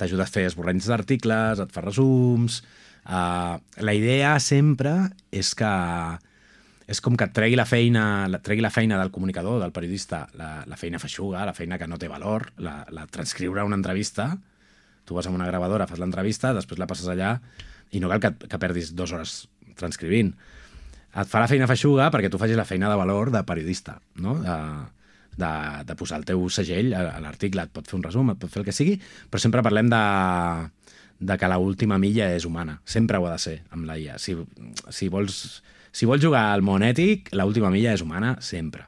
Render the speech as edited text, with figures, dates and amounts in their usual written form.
t'ajuda a fer esborranys d'articles, et fa resums... la idea sempre és que és com que et tregui la feina del comunicador, del periodista, la feina feixuga, la feina que no té valor, la transcriure una entrevista. Tu vas amb una gravadora, fas l'entrevista, després la passes allà i no cal que perdis 2 hores transcrivint. Et fa la feina feixuga perquè tu facis la feina de valor de periodista, no? De posar el teu segell a l'article. Et pot fer un resum, et pot fer el que sigui, però sempre parlem de que l'última milla és humana. Sempre ho ha de ser amb la IA. Si vols jugar al món ètic, l'última milla és humana sempre.